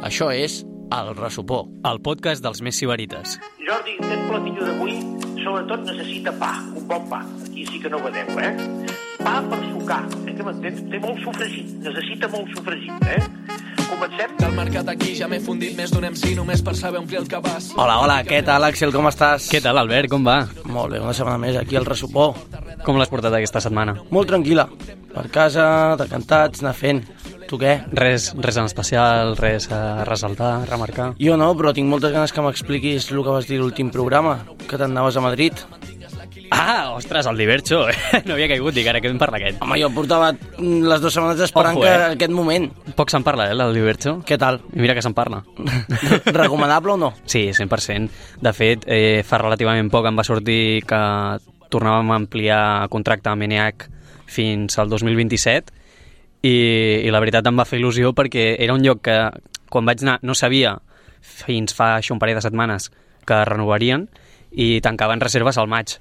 Això és El Ressupó, el podcast dels més sibarites. Jordi, aquest platillo d'avui sobretot necessita pa, un bon pa. Aquí sí que no vedeu, Pa per sucar, que m'entens? Té molt sofregit, necessita molt sofregit, Comencem? Del mercat aquí ja m'he fundit més d'un MC només per saber omplir el cabàs. Hola, què tal, Àxel, com estàs? Què tal, Albert, com va? Molt bé, una setmana més aquí al Ressupó. Com l'has portat aquesta setmana? Molt tranquil·la, per casa, decantats, anar fent. Tu què? Res en especial, res a ressaltar, a remarcar? Jo no, però tinc moltes ganes que m'expliquis el que vas dir l'últim programa, que t'anaves a Madrid. Ah, ostres, el Divercho, no havia caigut, dic, ara que vam parlar aquest. Home, jo portava les 2 setmanes esperant que aquest moment. Poc se'n parla, el Divercho. Què tal? I mira que se'n parla. Recomanable o no? Sí, 100%. De fet, fa relativament poc em va sortir que tornàvem a ampliar contracte amb ENEAC fins al 2027 i la veritat em va fer il·lusió perquè era un lloc que quan vaig anar no sabia fins fa això un parell de setmanes que renovarien i tancaven reserves al maig.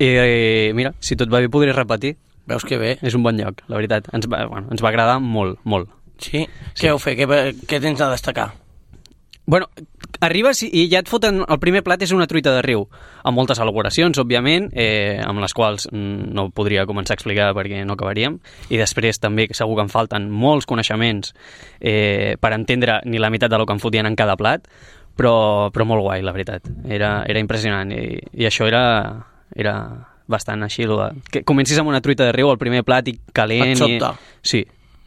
I mira, si tot va bé podré repetir. Veus que bé. És un bon lloc, la veritat. Ens va agradar molt, molt. Sí? Què heu fet? Què tens a destacar? Bueno, arribes i ja et foten... El primer plat és una truita de riu, amb moltes elaboracions, òbviament, amb les quals no podria començar a explicar perquè no acabaríem, i després també segur que em falten molts coneixements per entendre ni la meitat del que em fotien en cada plat, però molt guai, la veritat. Era impressionant, i això era bastant així, que comencis amb una truita de riu, el primer plat, i calent... Et sobta. Sí.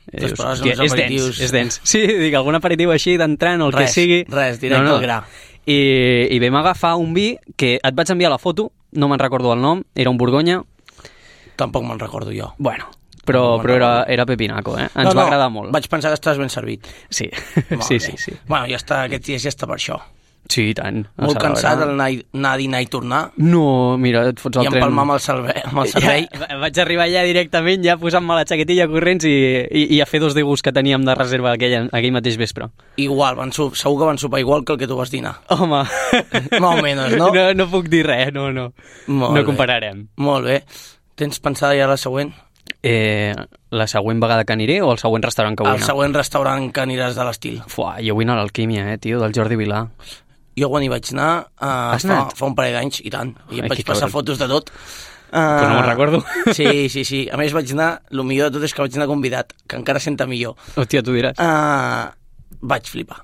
Hòstia, és dens. Sí, dic, algun aperitiu així d'entrant o el que sigui. Res, directe al gra. I vam agafar un vi que et vaig enviar la foto, no me'n recordo el nom, era un Borgonya. Tampoc me'n recordo jo. Bueno, però era pepinaco, Ens va agradar molt. Vaig pensar que estaves ben servit. Sí, sí. Bueno, ja està, aquests dies ja està per això. Sí, i tant. Molt cansat anar a dinar i tornar. No, mira, et fots el tren. I empalmar amb el servei. Ja, vaig arribar allà directament, ja posant-me la xaquetilla corrents i a fer 2 degús que teníem de reserva aquell mateix vespre. Igual, segur que van sopar igual que el que tu vas dinar. Home. Más o menos, no? No puc dir res, no. No compararem. Molt bé. Tens pensada ja la següent? La següent vegada que aniré o el següent restaurant que vull anar? El següent restaurant que aniràs de l'estil. Jo vull anar a l'Alquímia, tio, del Jordi Vilà. Jo quan hi vaig anar fa un parell d'anys, i tant. I em vaig passar fotos de tot. Però no me'n recordo. Sí. A més vaig anar, el millor de tot és que vaig anar convidat, que encara senta millor. Hòstia, tu diràs. Vaig flipar.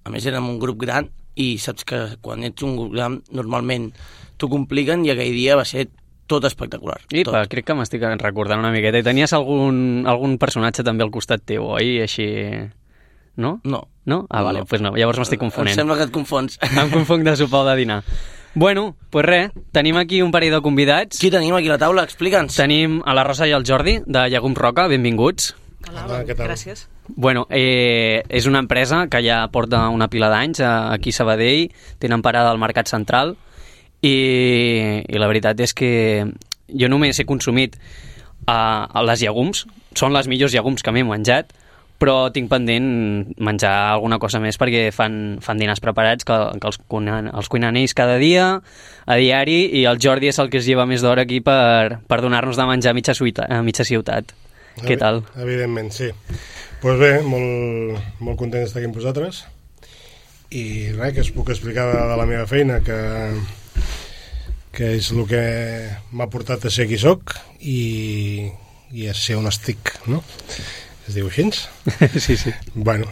A més érem un grup gran i saps que quan ets un grup gran normalment t'ho compliquen i aquell dia va ser tot espectacular. Crec que m'estic recordant una miqueta. I tenies algun personatge també al costat teu, oi? Així... No? No. Ah, vale, doncs no. Llavors m'estic confonent. Em sembla que et confons. Em confonc de sopar o de dinar. Bueno, doncs res, tenim aquí un parell de convidats. Qui tenim aquí a la taula? Explica'ns. Tenim a la Rosa i el Jordi, de Llegums Roca, benvinguts. Hola, què tal? Gràcies. Bueno, és una empresa que ja porta una pila d'anys aquí a Sabadell, tenen parada al Mercat Central, i la veritat és que jo només he consumit les llegums, són les millors llegums que m'he menjat, però tinc pendent menjar alguna cosa més perquè fan dinars preparats que els cuinen ells cada dia, a diari, i el Jordi és el que es lleva més d'hora aquí per donar-nos de menjar a mitja ciutat. Què tal? Evidentment, sí. Doncs bé, molt content d'estar aquí amb vosaltres i res, que us puc explicar de la meva feina, que és el que m'ha portat a ser qui soc i a ser on estic, no? Es diu així? Sí. Bueno,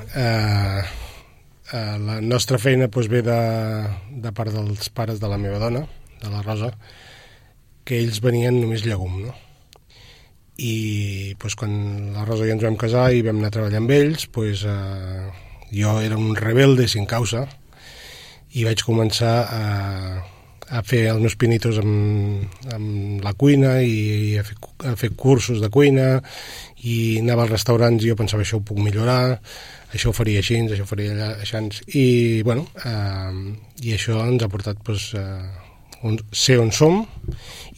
la nostra feina ve de part dels pares de la meva dona, de la Rosa, que ells venien només llegum, no? I quan la Rosa i ens vam casar i vam anar a treballar amb ells, jo era un rebelde sin causa i vaig començar a fer els meus pinitos amb la cuina i a fer cursos de cuina, i anava als restaurants i jo pensava això ho puc millorar, això ho faria així, això ho faria allà, així, i i això ens ha portat ser on som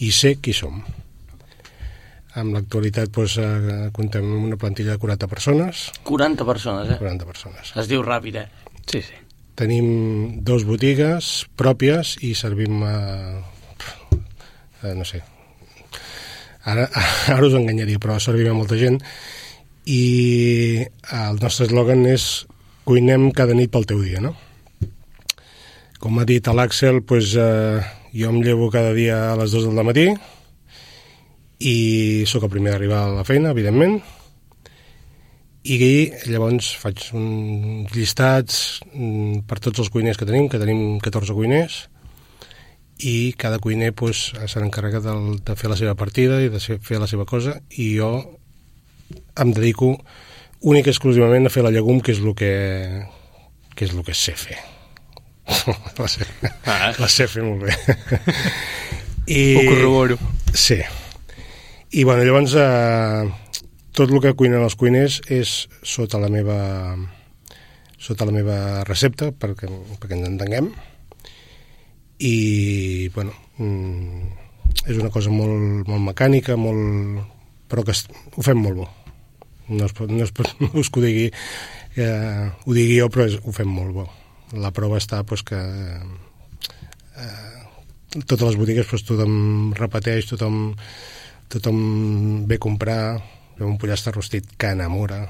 i ser qui som. En l'actualitat comptem amb una plantilla de 40 persones. 40 persones, 40 persones. Es diu ràpid, Sí. Tenim 2 botigues pròpies i servim no sé, ara us enganyaria, però servim a molta gent, i el nostre eslògan és cuinem cada nit pel teu dia, no? Com ha dit l'Àxel, doncs, jo em llevo cada dia a les 2 del matí i sóc el primer d'arribar a la feina, evidentment, i llavors faig uns llistats per tots els cuiners que tenim 14 cuiners, i cada cuiner doncs, se n'encarrega de fer la seva partida i de fer la seva cosa, i jo em dedico únic i exclusivament a fer la llegum, que és el que sé fer. La sé fer molt bé. Ho corroboro. Sí. I bueno, llavors tot el que cuinen els cuiners és sota la meva recepta, perquè ens entenguem, i bueno, és una cosa molt, molt mecànica, però que ho fem molt bo. No us que ho digui jo, però ho fem molt bo. La prova està doncs, que totes les botigues doncs, tothom repeteix, tothom ve a comprar, un pollastre rostit que enamora.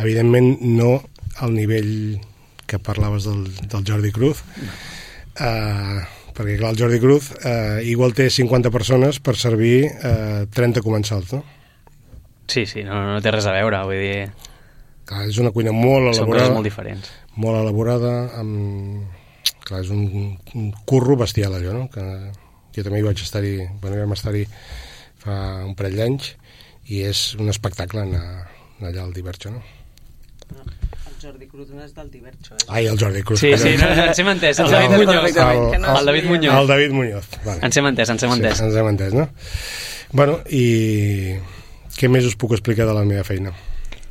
Evidentment no al nivell que parlaves del Jordi Cruz, perquè clar, el Jordi Cruz igual té 50 persones per servir 30 comensals, no? Sí, no té res a veure, vull dir... Clar, és una cuina molt elaborada. Són coses molt diferents. Molt elaborada, clar, és un curro bestial, allò, no? Que jo també hi vaig estar-hi, vam estar-hi fa un parell d'anys, i és un espectacle anar allà al Divercho, no? El Jordi Cruz no és del Divercho, eh? Ai, el Jordi Cruz. Sí, no, ens hem entès. El David Muñoz. El David Muñoz. El David Muñoz, vale. Ens hem entès. Sí, ens hem entès, no? Bueno, i què més us puc explicar de la meva feina?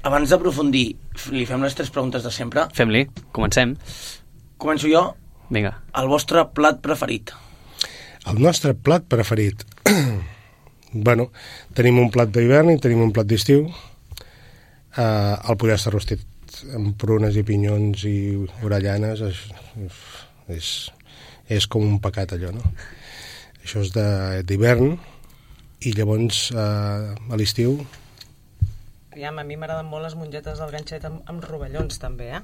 Abans d'aprofundir, li fem les 3 preguntes de sempre. Fem-li, comencem. Començo jo. Vinga. El vostre plat preferit? El nostre plat preferit? Bueno, tenim un plat d'hivern i tenim un plat d'estiu. El pollastre rostit amb prunes i pinyons i orellanes és com un pecat, allò, no? Això és d'hivern, i llavors a l'estiu... A mi m'agraden molt les mongetes del ganxet amb rovellons, també, eh?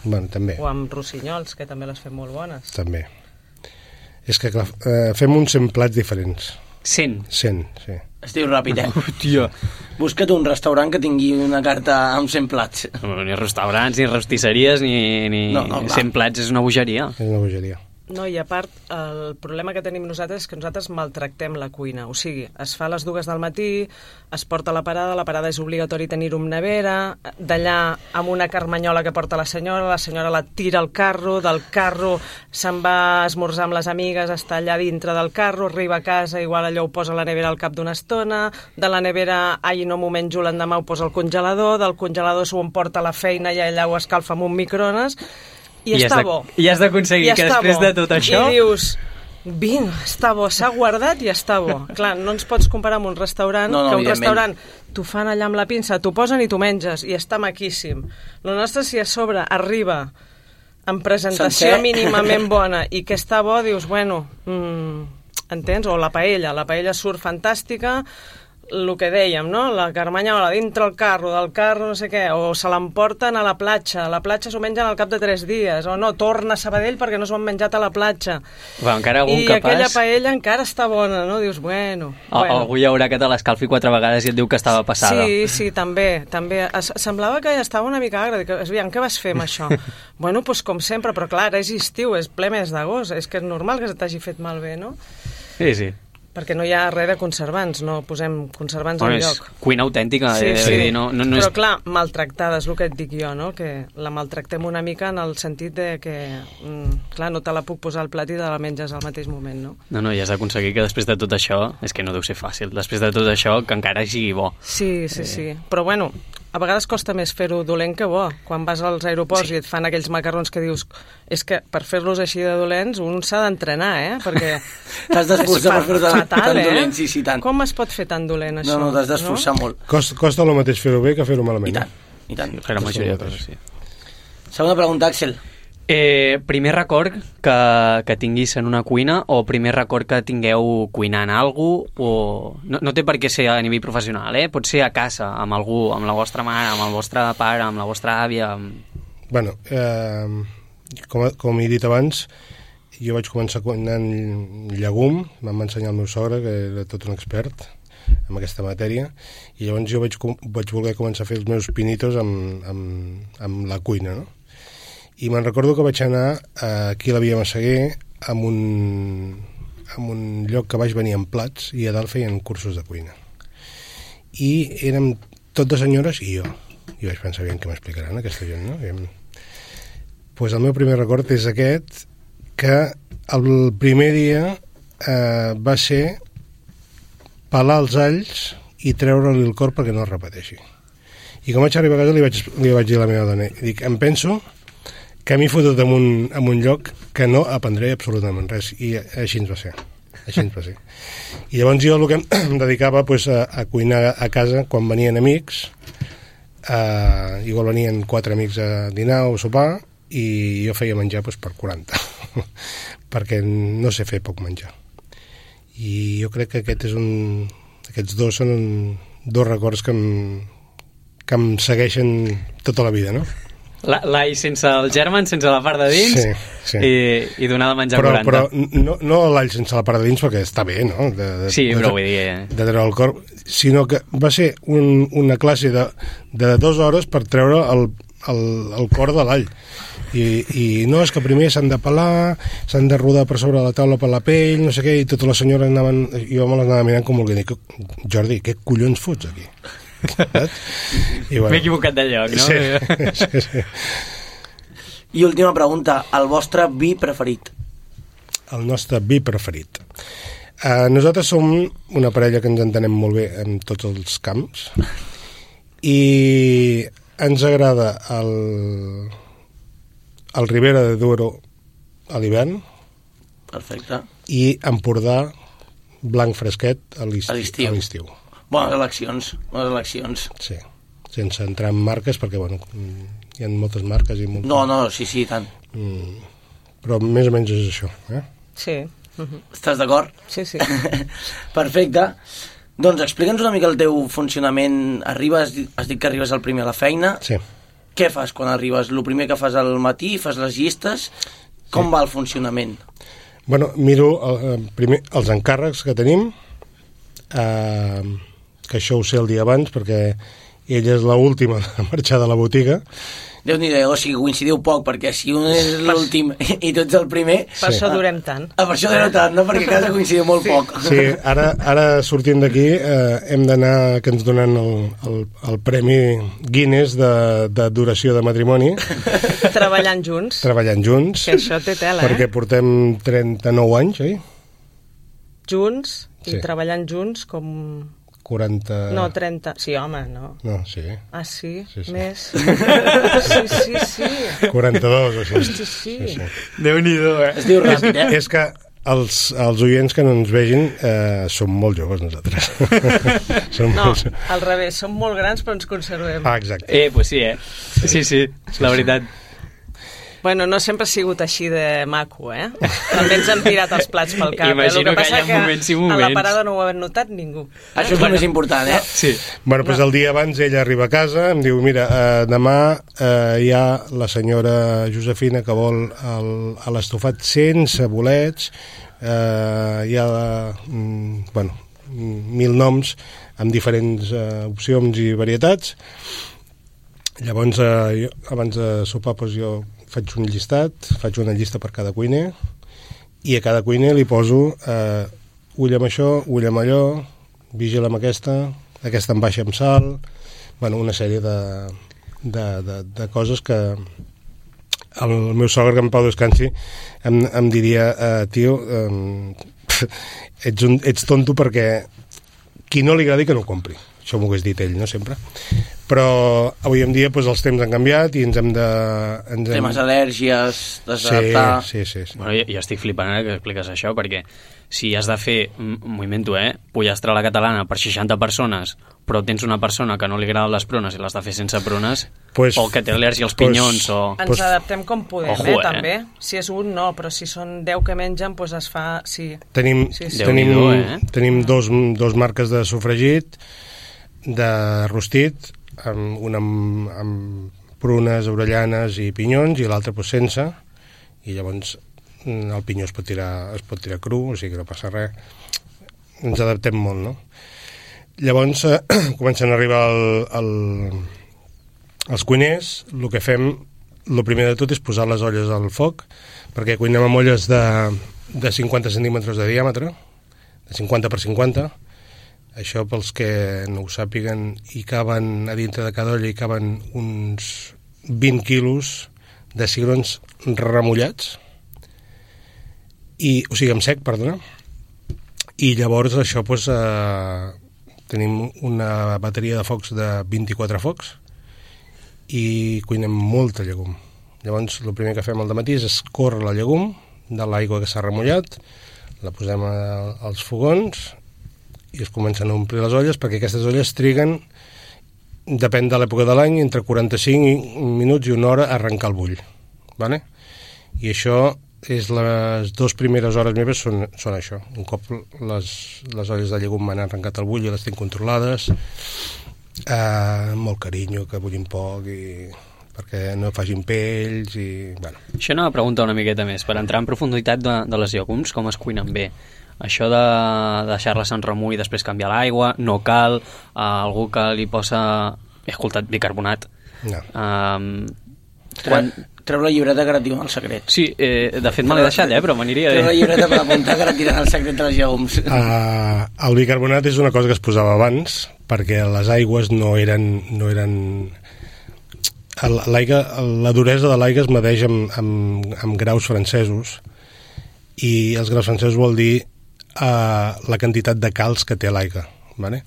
Bueno, també. O amb rossinyols, que també les fem molt bones. També. És que, clar, fem uns 100 plats diferents. 100? 100, sí. Es diu ràpid, Hòstia. Busca't un restaurant que tingui una carta amb 100 plats. No, ni restaurants, ni rostisseries, ni... No, 100 plats és una bogeria. És una bogeria. No, i a part, el problema que tenim nosaltres és que nosaltres maltractem la cuina. O sigui, es fa a les 2 del matí, es porta a la parada és obligatori tenir-ho en nevera, d'allà amb una carmanyola que porta la senyora la tira al carro, del carro se'n va a esmorzar amb les amigues, està allà dintre del carro, arriba a casa, igual allò ho posa a la nevera al cap d'una estona, de la nevera, no m'ho menjo l'endemà, ho posa al congelador, del congelador s'ho emporta a la feina i allà ho escalfa amb un microones, i està bo. I has d'aconseguir que després de tot això... I dius, vinga, està bo, s'ha guardat i està bo. Clar, no ens pots comparar amb un restaurant, que un restaurant t'ho fan allà amb la pinça, t'ho posen i t'ho menges, i està maquíssim. El nostre, si a sobre arriba amb presentació mínimament bona i que està bo, dius, bueno, entens? O la paella surt fantàstica, el que dèiem, no? La carmanyola dintre el carro, del carro no sé què, o se l'emporten a la platja s'ho mengen al cap de 3 dies, o no, torna a Sabadell perquè no s'ho han menjat a la platja. Bueno, encara algun I capaç... aquella paella encara està bona, no? Dius, bueno... Algú hi haurà que te l'escalfi 4 vegades i et diu que estava passada. Sí, també. Semblava que estava una mica agra. Aviam, què vas fer amb això? Bueno, doncs com sempre, però clar, és estiu, és ple mes d'agost, és que és normal que se t'hagi fet malbé, no? Sí. Perquè no hi ha res de conservants, no posem conservants enlloc. És cuina autèntica. Sí. No però clar, maltractada, és el que et dic jo, no? Que la maltractem una mica en el sentit de que, clar, no te la puc posar al plat i te la menges al mateix moment, no? No, i has d'aconseguir que després de tot això, és que no deu ser fàcil, després de tot això, que encara sigui bo. Sí. Però bueno, a vegades costa més fer-ho dolent que bo. Quan vas als aeroports i et fan aquells macarrons que dius, és que per fer-los així de dolents un s'ha d'entrenar, perquè... T'has d'esforçar per fer-ho tan dolent, sí, tant. Com es pot fer tan dolent, això? No, t'has d'esforçar molt. Costa el mateix fer-ho bé que fer-ho malament. I tant. La majoria de coses, sí. Segona pregunta, Àxel. Primer record que tinguis en una cuina o primer record que tingueu cuinant alguna cosa, o no té per què ser a nivell professional, pot ser a casa, amb algú, amb la vostra mare, amb el vostre pare, amb la vostra àvia... Bueno, com he dit abans, jo vaig començar cuinant llegum, em va ensenyar el meu sogre, que era tot un expert en aquesta matèria, i llavors jo vaig voler començar a fer els meus pinitos amb la cuina, no? I me'n recordo que vaig anar aquí a la Via Massaguer amb un lloc que baix venien plats i a dalt feien cursos de cuina. I érem tot de senyores i jo. I vaig pensar, aviam què m'explicaran aquesta gent, no? Pues el meu primer record és aquest, que el primer dia va ser pelar els alls i treure-li el cor perquè no es repeteixi. I quan vaig arribar a casa li vaig dir a la meva dona, dic, em penso que m'he fotut en un lloc que no aprendré absolutament res, i així ens va ser. I llavors jo el que em dedicava pues, a cuinar a casa quan venien amics, igual venien 4 amics a dinar o sopar, i jo feia menjar pues, per 40, perquè no sé fer poc menjar. I jo crec que aquests dos són dos records que em segueixen tota la vida, no? L'all sense el germen, sense la part de dins, sí. I donar de menjar 40. Però no l'all sense la part de dins, perquè està bé, no? Però vull dir... De treure el cor, sinó que va ser una classe de 2 hores per treure el cor de l'all. I no, és que primer s'han de pelar, s'han de rodar per sobre la taula per la pell, no sé què, i totes les senyores anaven... Jo me les anava mirant com volguent dir, Jordi, què collons fots aquí? M'he equivocat de lloc, no? Sí. I última pregunta, el vostre vi preferit? El nostre vi preferit. Nosaltres som una parella que ens entenem molt bé en tots els camps i ens agrada el Ribera de Duero a l'hivern. Perfecte. I Empordà blanc fresquet a l'estiu. Bones eleccions. Sí, sense entrar en marques, perquè, bueno, hi ha moltes marques i moltes... No, sí, tant. Però més o menys és això, eh? Sí. Estàs d'acord? Sí. Perfecte. Doncs explica'ns una mica el teu funcionament. Has dit que arribes al primer a la feina. Sí. Què fas quan arribes? El primer que fas al matí, fas les llistes? Com va el funcionament? Bueno, miro primer els encàrrecs que tenim, que això ho sé el dia abans perquè ella és l'última a marxar de la botiga. Déu-n'hi-do, o sigui, coincidiu poc, perquè si un és l'últim i tu ets el primer... Per això durem tant. Per això durem tant, no? Perquè a casa coincidiu molt poc. Sí, ara sortint d'aquí hem d'anar, que ens donen el premi Guinness de duració de matrimoni. Treballant junts. Que això té tela, perquè portem 39 anys, oi? Junts i treballant junts com... 40... No, 30. Sí, home, no. No, sí. Ah, sí? Sí. Més? Sí. 42 o així. Sí. Déu-n'hi-do, Es diu ràpid, És que els oients que no ens vegin som molt joves nosaltres. Al revés, som molt grans però ens conservem. Ah, exacte. Pues sí, Sí, la veritat. Bueno, no sempre ha sigut així de maco, També ens han tirat els plats pel cap. Imagino que hi ha moments i moments. A la parada no ho ha notat ningú. Això és el més important, Sí. Bueno, doncs el dia abans ella arriba a casa, em diu, mira, demà hi ha la senyora Josefina que vol l'estofat sense bolets, hi ha, 1000 noms amb diferents opcions i varietats. Llavors, abans de sopar, jo faig un llistat, faig una llista per cada cuiner i a cada cuiner li poso ull amb això, ull amb allò, vigila amb aquesta em baixa amb sal, una sèrie de coses que el meu sogre, que en Pau descansi, em diria, tio, ets tonto perquè qui no li agradi que no ho compri. Això m'ho hagués dit ell, no, sempre. Però avui en dia els temps han canviat i ens hem de... Temes al·lèrgies, desadaptar... Sí. Bueno, jo estic flipant que expliques això, perquè si has de fer, m'ho invento, pollastre a la catalana per 60 persones, però tens una persona que no li agraden les prunes i l'has de fer sense prunes, o que té al·lèrgia als pinyons, Ens adaptem com podem, també. Si és un, no, però si són 10 que mengen, es fa... Sí. Tenim dos marques de sofregit, de rostit, una amb prunes, avellanes i pinyons, i l'altre doncs, sense, i llavors el pinyó es pot tirar cru, o sigui que no passa res. Ens adaptem molt, no? Llavors comencen a arribar els cuiners. El que fem, el primer de tot és posar les olles al foc, perquè cuinem amb olles de 50 centímetres de diàmetre, de 50 per 50. Això, pels que no ho sàpiguen, hi caben, a dintre de cada olla hi caben uns 20 quilos de cigrons remullats, o sigui, en sec, perdona. I llavors això, doncs, tenim una bateria de focs de 24 focs i cuinem molta llegum. Llavors, el primer que fem al dematí és escórrer la llegum de l'aigua que s'ha remullat, la posem als fogons i es comencen a omplir les olles, perquè aquestes olles triguen, depèn de l'època de l'any, entre 45 minuts i una hora a arrencar el bull. ¿Vale? I això és les 2 primeres hores meves són això. Un cop les olles de llegum m'han arrencat el bull i les tinc controlades, molt carinyo, que bullin poc perquè no facin pells i... Bueno. Això anava a preguntar una miqueta més, per entrar en profunditat de les llegums, com es cuinen bé. Això de deixar-les en remull i després canviar l'aigua, no cal, algú que li posa, he escoltat, bicarbonat. No. Treu la llibreta que ara et diuen el secret. Sí, de fet me l'he deixat, però m'aniria bé. Treu la llibreta per apuntar que ara et diran el secret de les llegums. El bicarbonat és una cosa que es posava abans, perquè les aigües no eren... La duresa de l'aigua es medeix amb graus francesos, i els graus francesos vol dir la quantitat de calç que té l'aigua. ¿Vale?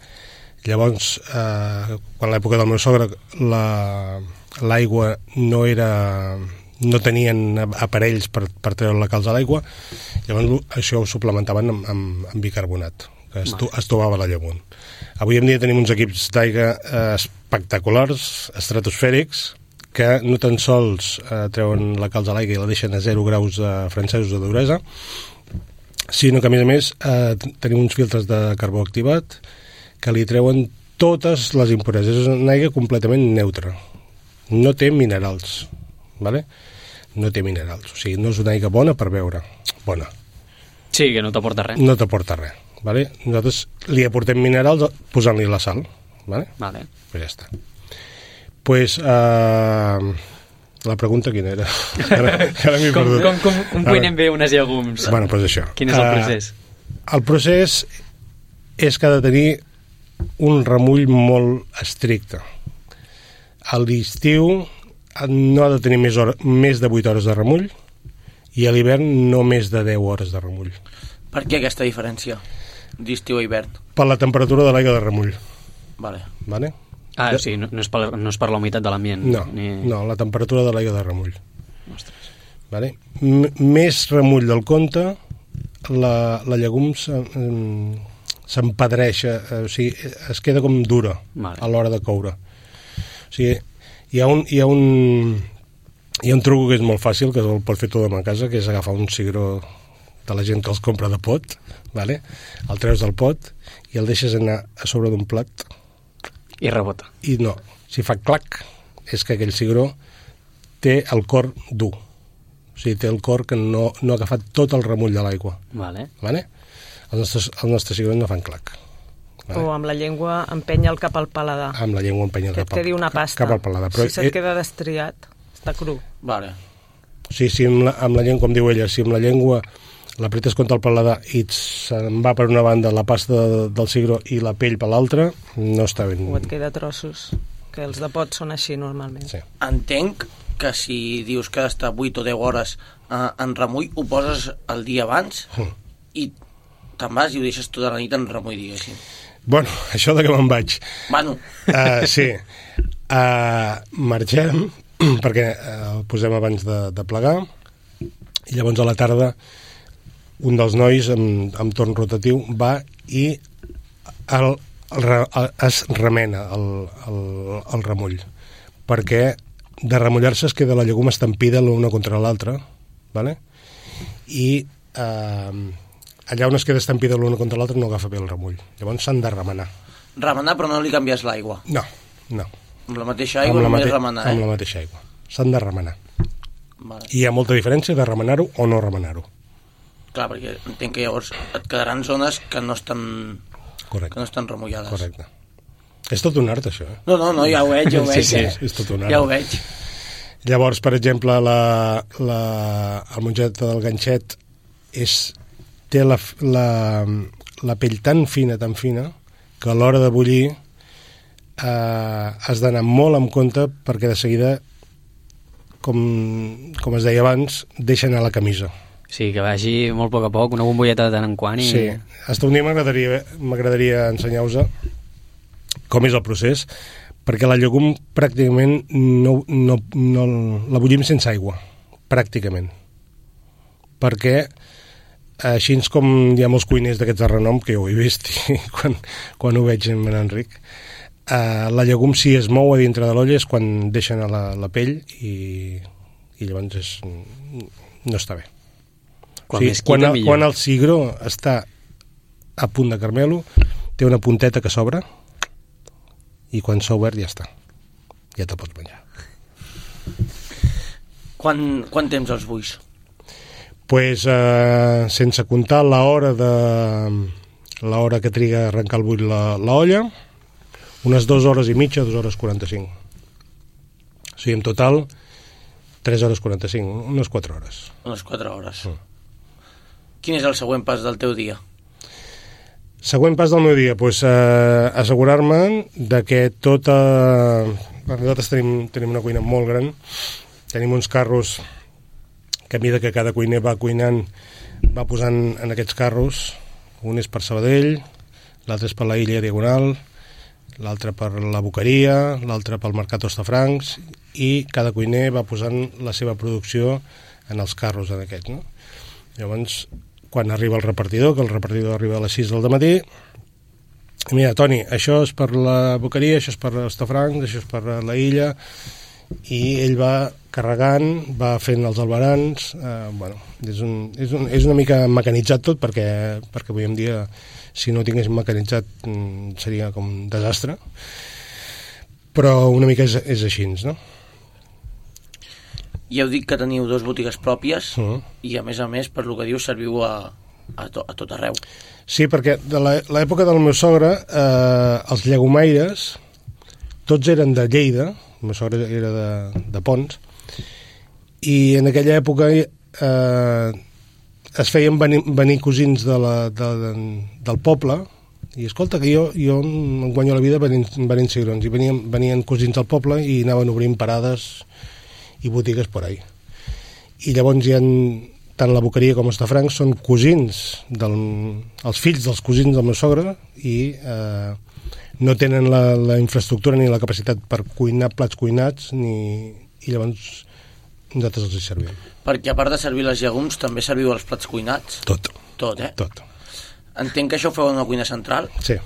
Llavors, quan a l'època del meu sogre l'aigua no tenien aparells per treure la calç a l'aigua, llavors això ho suplementaven amb bicarbonat, que es tomava la llegum. Avui en dia tenim uns equips d'aigua espectaculars, estratosfèrics, que no tan sols treuen la calç a l'aigua i la deixen a 0 graus francesos de duresa, sinó que, a més, tenim uns filtres de carbó activat que li treuen totes les impureses. És una aigua completament neutra. No té minerals, ¿vale? No té minerals. O sigui, no és una aigua bona per beure. Bona. Sí, que no t'aporta res. No t'aporta res, ¿vale? Nosaltres li aportem minerals posant-li la sal, ¿vale? Vale. Pues ja està. Pues, la pregunta quina era? Ara m'he perdut. Com cuinem bé unes llegums? Bueno, pues això. Quin és el procés? El procés és que ha de tenir un remull molt estricte. A l'estiu no ha de tenir més de 8 hores de remull, i a l'hivern no més de 10 hores de remull. Per què aquesta diferència d'estiu a hivern? Per la temperatura de l'aigua de remull. Vale. O sigui, no és per la humitat de l'ambient. No, la temperatura de l'aigua de remull. Ostres. Vale? Més remull del compte, la llegum s'empedreixa, o sigui, es queda com dura a l'hora de coure. O sigui, hi ha un truc que és molt fàcil, que el pot fer tothom a casa, que és agafar un cigró de la gent que els compra de pot, vale? El treus del pot i el deixes anar a sobre d'un plat i rebota. I no, si fa clac, és que aquell cigró té el cor dur. O sigui, té el cor que no ha agafat tot el remull de l'aigua. Vale. Els nostres cigrons no fan clac. Vale? O amb la llengua empenya'l cap al paladar. Amb la llengua empenya'l cap al pasta. Cap al paladar. Però si se't queda destriat, està cru. Vale. Sí, amb la llengua, com diu ella, si amb la llengua l'apretes contra el paladar i se'n va per una banda la pasta del cigró i la pell per l'altra, no està ben... O et queda trossos, que els de pot són així normalment. Sí. Entenc que si dius que ha d'estar 8 o 10 hores en remull, ho poses el dia abans i te'n vas i ho deixes tota la nit en remull, diguéssim. Bueno, això de que me'n vaig. Bueno. Sí. Marxem, perquè el posem abans de plegar, i llavors a la tarda un dels nois amb torn rotatiu va i es remena el remull, perquè de remullar-se es queda la llegum estampida l'una contra l'altra, ¿vale? I allà on es queda estampida l'una contra l'altra no agafa bé el remull, llavors s'han de remenar. Remenar, però no li canvies l'aigua? No. Amb la mateixa aigua, només remenar, Amb la mateixa aigua. S'han de remenar. Vale. I hi ha molta diferència de remenar-ho o no remenar-ho. Clar, perquè entenc que llavors et quedaran zones que no estan, Correcte. que no estan remullades. Correcte. És tot un art, això. No, ja ho veig, Sí, és tot un art. Ja ho veig. Llavors, per exemple, el mongeta del ganxet té la pell tan fina, que a l'hora de bullir has d'anar molt en compte perquè de seguida, com es deia abans, deixa anar la camisa. Sí, que vagi molt a poc, una bombolleta de tant en quant. Sí, fins un dia m'agradaria ensenyar-vos com és el procés, perquè la llegum pràcticament no la bullim sense aigua, pràcticament. Perquè així com hi ha molts cuiners d'aquests de renom, que jo ho he vist quan ho veig amb en Enric, la llegum si es mou a dintre de l'olla és quan deixen la pell i llavors no està bé. Quan el cigró està a punt de caramelo, té una punteta que s'obre i quan s'ha obert ja està. Ja te'l pots menjar. Quant temps els bulls? Pues, sense comptar l'hora que triga a arrencar el bull l'olla, unes 2 hores i mitja, 2 hores 45. O sigui, en total, 3 hores 45, unes 4 hores. Unes 4 hores. Quin és el següent pas del teu dia? Següent pas del meu dia, pues, assegurar-me de que nosaltres tenim una cuina molt gran, tenim uns carros que a mesura que cada cuiner va cuinant va posant en aquests carros, un és per Sabadell, l'altre és per la Illa Diagonal, l'altre per la Boqueria, l'altre pel Mercat Hostafrancs, i cada cuiner va posant la seva producció en els carros en aquests, no? Llavors, quan arriba el repartidor, que el repartidor arriba a les 6 del matí, mira, Toni, això és per la Boqueria, això és per Hostafrancs, això és per la Illa, i ell va carregant, va fent els albarans, bueno, és una mica mecanitzat tot, perquè avui en dia, si no ho tingués mecanitzat, seria com un desastre, però una mica és així, no? Ja heu dit que teniu 2 botigues pròpies i a més, per lo que dius, serviu a tot arreu. Sí, perquè de l'època del meu sogre, els llegomaires, tots eren de Lleida, el meu sogre era de Pons, i en aquella època es feien venir cosins del poble, i escolta, que jo em guanyo la vida venint cigrons, i venien cosins del poble i anaven obrint parades i botigues por ahí. I llavors hi ha tant la Boqueria com Hostafrancs són cosins, els fills dels cosins del meu sogre, i no tenen la infraestructura ni la capacitat per cuinar plats cuinats, i llavors nosaltres els hi servim. Perquè a part de servir les llegums, també serviu els plats cuinats? Tot, eh? Tot. Entenc que això ho feu en una cuina central? Sí.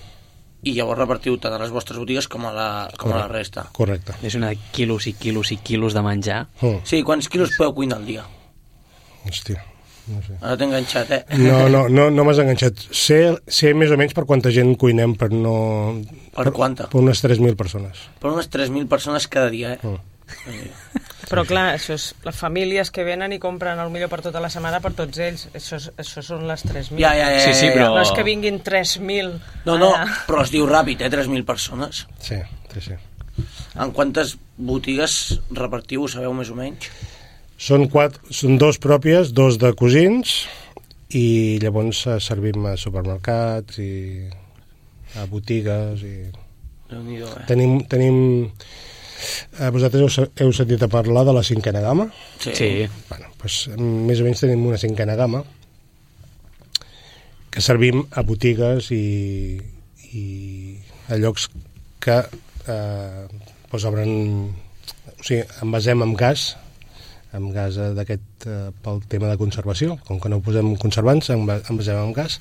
I llavors repartiu tant a les vostres botigues com a la resta. Correcte. És una quilos i quilos i quilos de menjar. Sí, quants quilos podeu cuinar al dia? Hòstia, no sé. Ara t'he enganxat, No m'has enganxat. Sé més o menys per quanta gent cuinem, per no... Per quanta? Per unes 3.000 persones. Per unes 3.000 persones cada dia, Però clar, això és les famílies que venen i compren el millor per tota la setmana per tots ells. Això són les 3.000. Ja. Sí, però... No és que vinguin 3.000. No, però es diu ràpid, 3.000 persones. Sí. En quantes botigues repartiu, ho sabeu més o menys? Són 2 pròpies, 2 de cosins, i llavors servim a supermercats i a botigues i... Déu-n'hi-do, Tenim vosaltres heu sentit a parlar de la 5a gamma? Sí. Bueno, doncs, més o menys tenim una 5a gamma que servim a botigues i a llocs que obren, o sigui, envasem amb gas d'aquest pel tema de conservació. Com que no posem conservants, envasem amb gas,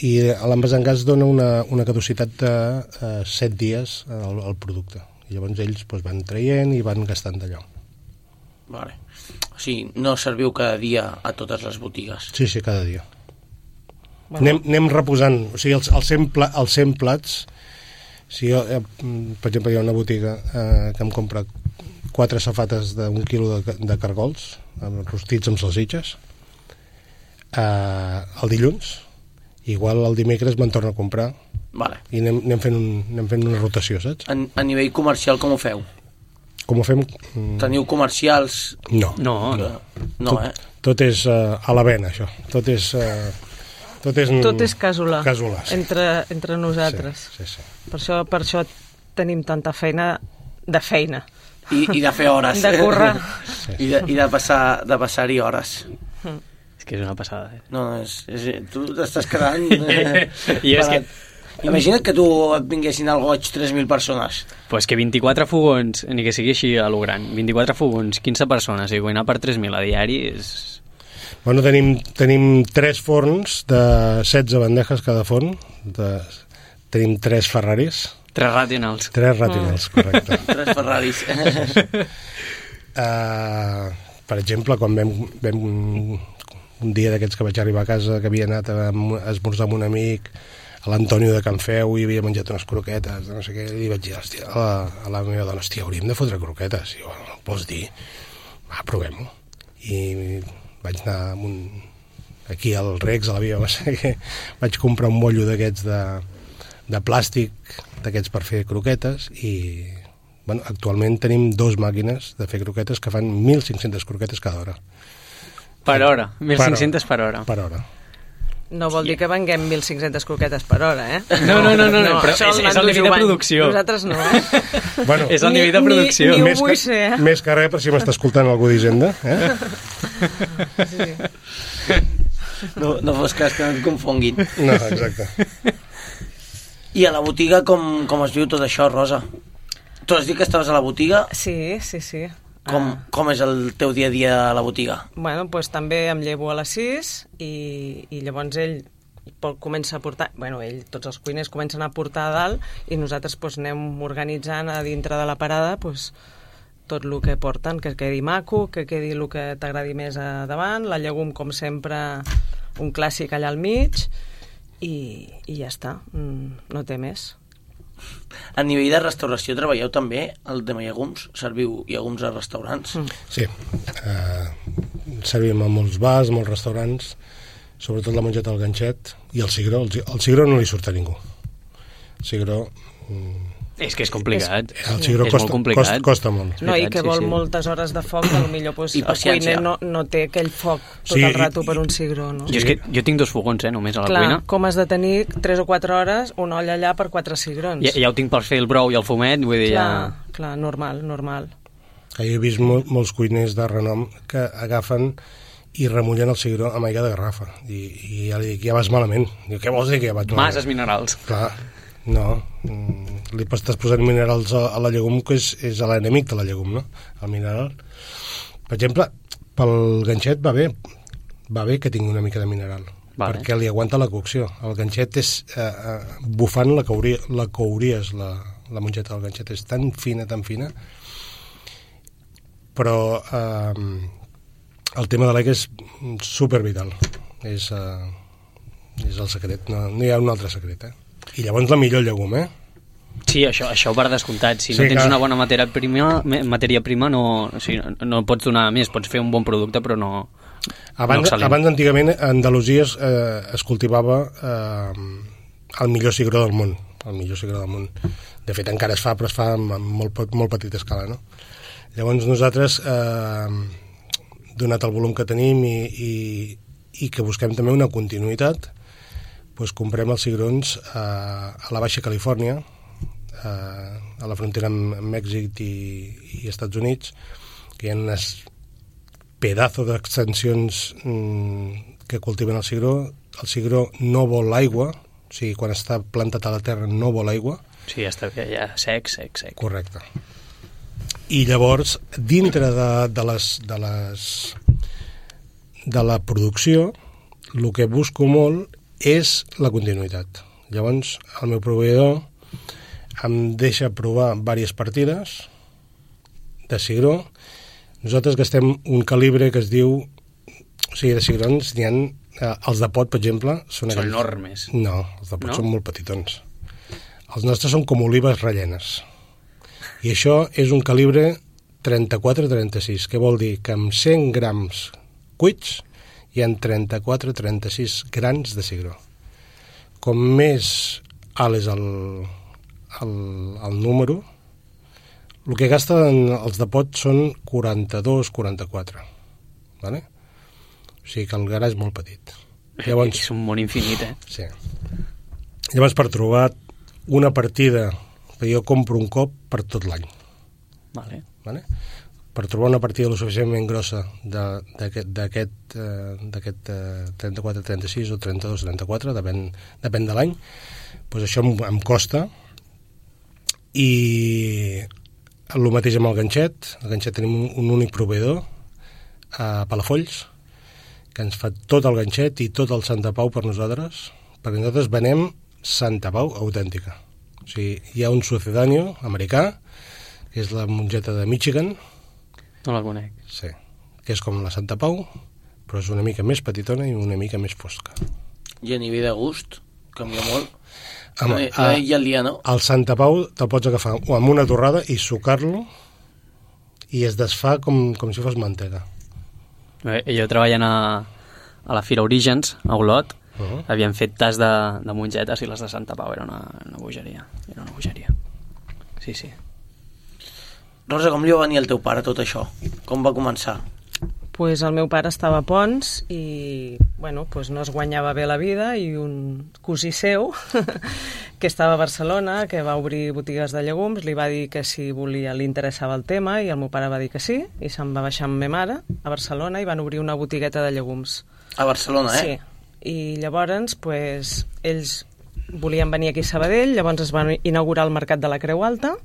i l'envasar amb gas dona una caducitat de 7 dies al producte. I llavors ells van traient i van gastant d'allò. Vale. O sigui, no serviu cada dia a totes les botigues? Sí, cada dia. Anem reposant. O sigui, els 100 plats Si jo, per exemple, hi ha una botiga que em compra 4 safates d'1 quilo de cargols, rostits amb salsitxes, el dilluns, igual el dimecres me'n torno a comprar, vale. I anem fent una rotació, saps? A nivell comercial com ho feu? Com ho fem? Teniu comercials? No. Tot és a la vena, això. Tot és casolà. Casolà, sí. Entre nosaltres. Sí. Per això tenim tanta feina de feina. I de fer hores. De currar. I de passar-hi hores. És que és una passada. No, tu t'estàs quedant... Jo és que... Imagina't que tu et vinguessin al goig 3.000 persones. Pues que 24 fogons, ni que sigui així a lo gran, 24 fogons, 15 persones, i cuinar per 3.000 a diari és... Bueno, tenim 3 forns de 16 bandejes cada forn, tenim 3 Ferraris. 3 Rationals. 3 Rationals, correcte. 3 Ferraris. Per exemple, quan vam un dia d'aquests que vaig arribar a casa, que havia anat a esmorzar amb un amic, a l'Antonio de Can Feu, i havia menjat unes croquetes, no sé què, i vaig dir, hòstia, a la meva dona, hòstia, hauríem de fotre croquetes. I jo, vols dir? Va, provem-ho. I vaig anar aquí al Rex, a la via, no sé què, vaig comprar un mollo d'aquests de plàstic, d'aquests per fer croquetes, i bueno, actualment tenim 2 màquines de fer croquetes que fan 1.500 croquetes cada hora. Per hora, 1.500 per hora. Per hora. No vol dir que venguem 1.500 croquetes per hora, eh? No, però és el nivell de producció. Nosaltres no, eh? Bueno, és el nivell de producció. Ni ho vull ser, eh? Més que res per si m'està escoltant algú d'Hisenda, eh? Sí. No fos cas que no et confonguin. No, exacte. I a la botiga com es viu tot això, Rosa? Tu has dit que estaves a la botiga? Sí. Com és el teu dia a dia a la botiga? Bueno, doncs també em llevo a les 6 i llavors ell comença a portar... Bueno, tots els cuiners comencen a portar a dalt i nosaltres doncs, anem organitzant a dintre de la parada doncs, tot el que porten, que quedi maco, que quedi el que t'agradi més a davant, la llegum, com sempre, un clàssic allà al mig i ja està, no té més. A nivell de restauració treballeu també el tema llegums? Serviu llegums a restaurants? Sí, servim a molts bars, molts restaurants, sobretot la mongeta al ganxet i el cigró. El cigró no li surt a ningú. El cigró... És que és complicat. El cigró costa molt. No, i que vol moltes hores de foc, potser pues, el cuiner no té aquell foc tot el rato per un cigró. No? Jo tinc 2 fogons, només a la cuina. Com has de tenir 3 o 4 hores una olla allà per 4 cigrons? Ja ho tinc per fer el brou i el fumet, vull dir, Clar, normal. Jo he vist molts cuiners de renom que agafen i remullen el cigró amb aigua de garrafa. I ja li dic, ja vas malament. Diu, què vols dir que ja vaig malament? Masses minerals. Clar, no. Li estàs posant minerals a la llegum, que és l'enemic de la llegum, no? El mineral. Per exemple, pel ganxet va bé que tingui una mica de mineral, perquè li aguanta la cocció. El ganxet és bufant la couries, la mongeta del ganxet és tan fina, però el tema de l'aigua és supervital. És el secret, no hi ha un altre secret, I llavors la millor llegum, Sí, això per descomptat. Si no tens una bona matèria prima no pots donar més. Pots fer un bon producte, però no Abans, antigament, a Andalusia es cultivava el millor cigró del món. De fet, encara es fa, però es fa amb molt petita escala, no? Llavors nosaltres, donat el volum que tenim i que busquem també una continuïtat, doncs comprem els cigrons a la Baixa Califòrnia, a la frontera amb Mèxic i Estats Units, que hi ha unes pedazo d'extensions que cultiven el cigró. El cigró no vol aigua, o sigui, quan està plantat a la terra no vol aigua. Sí, ja està bé, ja sec. Correcte. I llavors, dintre de la producció, el que busco molt és la continuïtat. Llavors, el meu proveïdor em deixa provar diverses partides de cigró. Nosaltres gastem un calibre que es diu... O sigui, de cigrons n'hi ha... els de pot, per exemple... Són enormes. No, els de pot són molt petitons. Els nostres són com olives rellenes. I això és un calibre 34-36, que vol dir que amb 100 grams cuits hi ha 34-36 grans de cigró. Com més alt és el número, el que gasten els de pot són 42-44. Vale? O sigui que el gra és molt petit. Llavors, és un món infinit, Sí. Llavors, per trobar una partida, jo compro un cop per tot l'any. Vale. Per trobar una partida lo suficientment grossa d'aquest 34-36 o 32-34, depèn de l'any, doncs això em costa. I el mateix amb el ganxet. El ganxet tenim un únic proveïdor a Palafolls, que ens fa tot el ganxet i tot el Santa Pau per nosaltres, perquè nosaltres venem Santa Pau autèntica. O sigui, hi ha un sucedáneo americà, que és la mongeta de Michigan. No la conec. Sí, que és com la Santa Pau, però és una mica més petitona i una mica més fosca. I a nivell de gust, canvia molt. Home, I el dia, no? El Santa Pau te'l pots agafar amb una torrada i sucar-lo i es desfà com si fos mantega. Jo treballant a la Fira Orígens, a Olot, havíem fet tas de mongetes i les de Santa Pau era una bogeria. Era una bogeria. Sí, sí. Rosa, com li va venir al teu pare tot això? Com va començar? Pues el meu pare estava a Pons i pues no es guanyava bé la vida, i un cosí seu que estava a Barcelona, que va obrir botigues de llegums, li va dir que si li interessava el tema, i el meu pare va dir que sí, i se'n va baixar amb ma mare a Barcelona i van obrir una botigueta de llegums. A Barcelona, Sí, i llavors ells volien venir aquí a Sabadell, llavors es van inaugurar el Mercat de la Creu Alta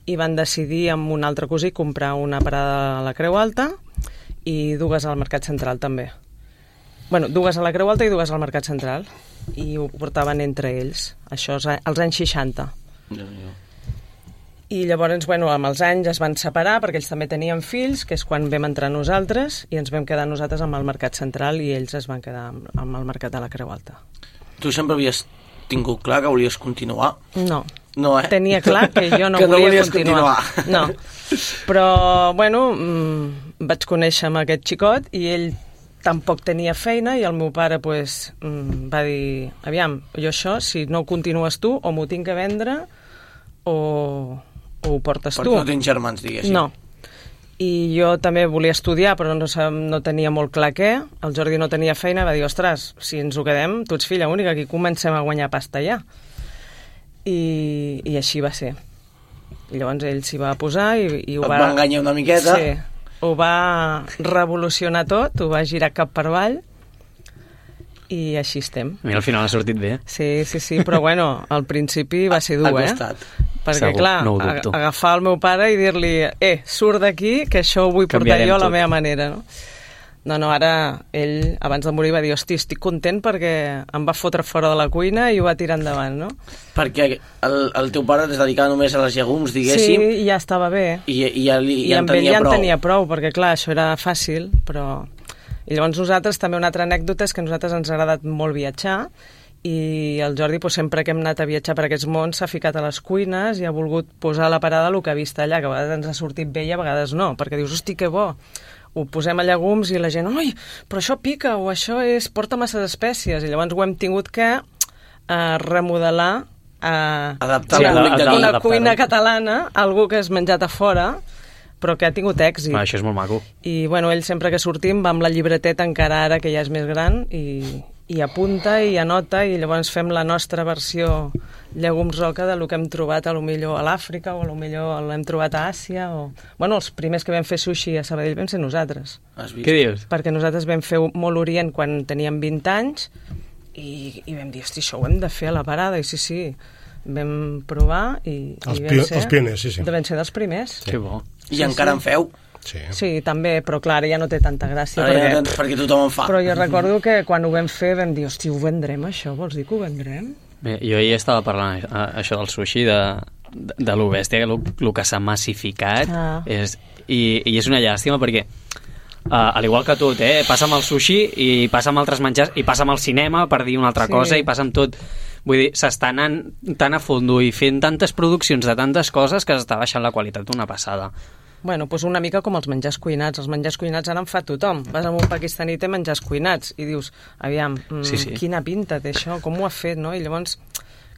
i van decidir amb un altre cosí comprar una parada a la Creu Alta i dues al Mercat Central també. Dues a la Creu Alta i dues al Mercat Central, i ho portaven entre ells. Això és als anys 60. I llavors, amb els anys es van separar perquè ells també tenien fills, que és quan vam entrar nosaltres, i ens vam quedar nosaltres amb el Mercat Central i ells es van quedar amb el Mercat de la Creu Alta. Tu sempre havies tingut clar que volies continuar? No. No, Tenia clar que jo no volia continuar. No. Però, vaig conèixer amb aquest xicot i ell tampoc tenia feina i el meu pare va dir, aviam, jo això, si no ho continues tu, o m'ho tinc que vendre o ho portes tu. Perquè no tens germans, diguéssim. No. I jo també volia estudiar, però no tenia molt clar què. El Jordi no tenia feina, va dir, ostres, si ens ho quedem, tu ets filla única, aquí comencem a guanyar pasta ja. I així va ser. I llavors ell s'hi va posar i ho va... Et va enganyar una miqueta. Sí, ho va revolucionar tot, ho va girar cap per avall i així estem. Mira, al final ha sortit bé. Sí, però al principi va ser dur, Perquè, segur, clar, no agafar el meu pare i dir-li surt d'aquí, que això ho vull portar jo a la meva manera, no? No, ara ell, abans de morir, va dir, hosti, estic content perquè em va fotre fora de la cuina i ho va tirar endavant, no? Perquè el teu pare es dedicava només a les llegums, diguéssim. Sí, i ja estava bé. I ja en amb ell ja prou. en tenia prou, perquè clar, això era fàcil, però... I llavors nosaltres, també una altra anècdota és que a nosaltres ens ha agradat molt viatjar, i el Jordi, sempre que hem anat a viatjar per aquests mons, s'ha ficat a les cuines i ha volgut posar a la parada el que ha vist allà, que a vegades ens ha sortit bé i a vegades no, perquè dius, hosti, que bo, ho posem a llegums i la gent, oi, però això pica, o això porta massa espècies, i llavors ho hem tingut que remodelar, adaptar una cuina catalana, algú que has menjat a fora, però que ha tingut èxit. Això és molt maco. I ell sempre que sortim va amb la llibreteta, encara ara que ja és més gran, i apunta i anota, i llavors fem la nostra versió llegums roca del que hem trobat a lo millor a l'Àfrica, o a lo millor l'hem trobat a Àsia, o... els primers que vam fer sushi a Sabadell vam ser nosaltres. Què dius? Perquè nosaltres vam fer molt Orient quan teníem 20 anys i vam dir, hosti, això ho hem de fer a la parada, i sí, vam provar i els pioners, sí. Vam ser dels primers. Que bo. I encara en feu? Sí, també, però clar, ja no té tanta gràcia. Perquè tothom en fa. Però jo recordo que quan ho vam fer vam dir, hosti, ho vendrem això? Vols dir que ho vendrem? Bé, jo ahir estava parlant això del sushi, de lo bèstia, el que s'ha massificat, i és una llàstima perquè, al igual que tot, passa amb el sushi i passa amb altres menjars i passa amb el cinema, per dir una altra cosa, i passa amb tot, Vull dir, s'està anant tan a fondo i fent tantes produccions de tantes coses que s'està baixant la qualitat una passada. Bueno, doncs una mica com els menjars cuinats. Els menjars cuinats ara en fa tothom. Vas a un pakistaní i té menjars cuinats i dius, aviam, quina pinta té això, com ho ha fet, no? I llavors,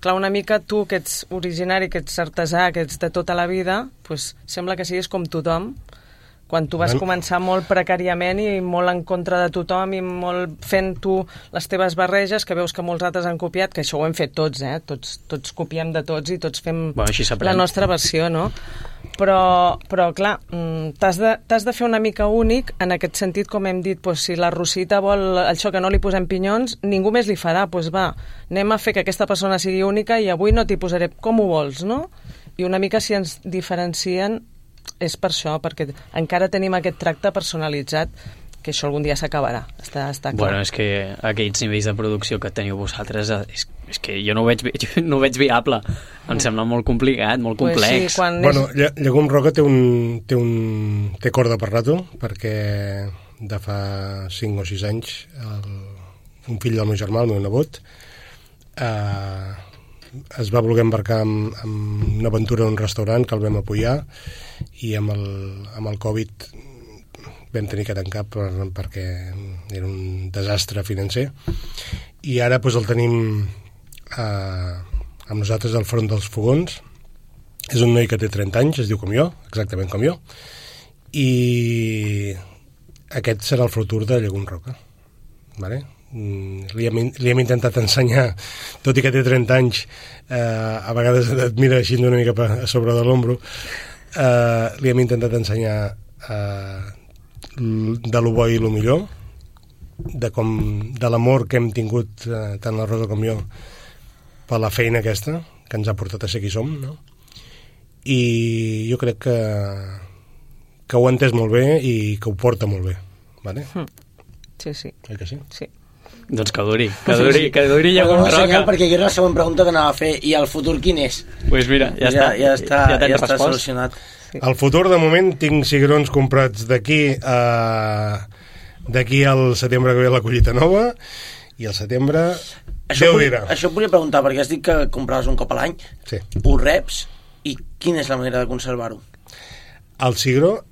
clar, una mica tu que ets originari, que ets artesà, que ets de tota la vida, doncs sembla que siguis com tothom, quan tu vas començar molt precàriament i molt en contra de tothom i molt fent tu les teves barreges, que veus que molts altres han copiat, que això ho hem fet tots, tots copiem de tots i tots fem la nostra versió, no? Però clar, t'has de fer una mica únic en aquest sentit, com hem dit, doncs, si la Rosita vol això que no li posem pinyons, ningú més li farà, doncs va, anem a fer que aquesta persona sigui única i avui no t'hi posaré com ho vols, no? I una mica si ens diferencien és per això, perquè encara tenim aquest tracte personalitzat, que això algun dia s'acabarà, està clar. Bueno, és que aquells nivells de producció que teniu vosaltres, és que jo no ho veig viable. Em sembla molt complicat, molt complex. Sí, bueno, Llegum Roca té corda per rato, perquè de fa 5 o 6 anys un fill del meu germà, el meu nebot, es va voler embarcar amb una aventura en un restaurant que el vam apoyar, i amb el Covid vam tenir que tancar perquè era un desastre financer, i ara doncs, el tenim amb nosaltres al front dels fogons. És un noi que té 30 anys, es diu com jo, exactament com jo, i aquest serà el futur de Llegum Roca, vale? Li hem intentat ensenyar, tot i que té 30 anys, a vegades et mira així una mica a sobre de l'ombro, li hem intentat ensenyar de lo bo i lo millor, de l'amor que hem tingut tant la Rosa com jo per la feina aquesta que ens ha portat a ser qui som, no? I jo crec que ho ha entès molt bé i que ho porta molt bé, vale? Sí. Oi que sí? Sí. Doncs que duri Llegum Roca. Senyor, perquè jo era la següent pregunta que anava a fer, i el futur quin és? Pues mira, ja està solucionat. Sí. El futur, de moment, tinc cigrons comprats d'aquí al setembre que ve la collita nova, i al setembre Déu dirà. Això et volia preguntar, perquè has dit que compraves un cop a l'any. Sí. Ho reps, i quina és la manera de conservar-ho? El cigró